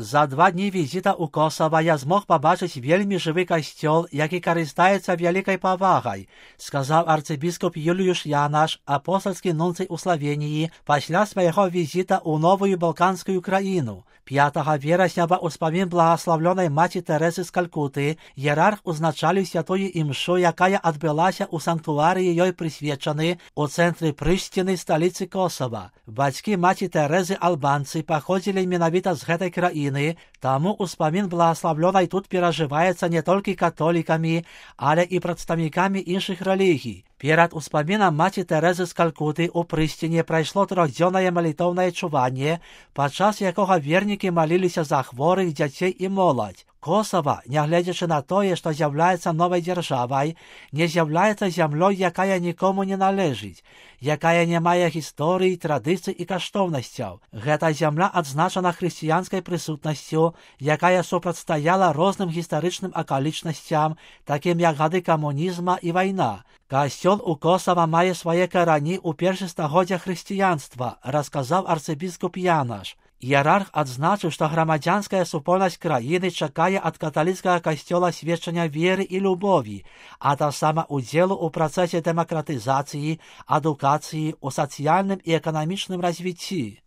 За 2 дні візіта ў Косава я змог пабачыць вельмі жывы касцёл, які карыстаецца вялікай павагай, сказаў арцыбіскуп Юліюш Янаш, апостальскі нунцый у Славеніі, пасля свайго візіта ў новую балканскую краіну. 5 верасня ва ўспамін благаславлёнай маці Тэрэзы з Калькуты іерарх узначаліў святую імшу, якая адбылася ў санктуарыі ёй прысвечаны ў цэнтры Прышціны, сталіцы Косава. Бацькі маці Тэрэзы албанцы паходзілі менавіта з гэтай краіны, таму ўспамін благаславлёнай тут перажываецца не толькі католікамі, але і прадстаўнікамі іншых рэлігій. Перад успамінам маці Тэрэзы з Калькуты ў Прышціне прайшло 3-дзённае малітоўнае чуванне, падчас якога вернікі маліліся за хворых, дзяцей і моладзь. Косава, нягледзячы на тое, што з'яўляецца новай дзяржавай, не з'яўляецца зямлёй, якая нікому не належыць, якая не мае гісторыі, традыцый і каштоўнасцяў. Гэта зямля адзначана хрысціянскай прысутнасцю, якая супрацьстаяла розным гістарычным акалічнасцям, такім як гады камунізма і вайна. Касцёл у Косава мае свае карані ў першых стагоддзях хрысціянства, расказаў арцыбіскуп Янаш. Іерарх адзначыў, што грамадзянская супольнасць краіны чакае ад каталіцкага касцёла сведчання веры і любові, а таксама удзелу ў працэсе дэмакратызацыі, адукацыі, у сацыяльным і эканамічным развіцці.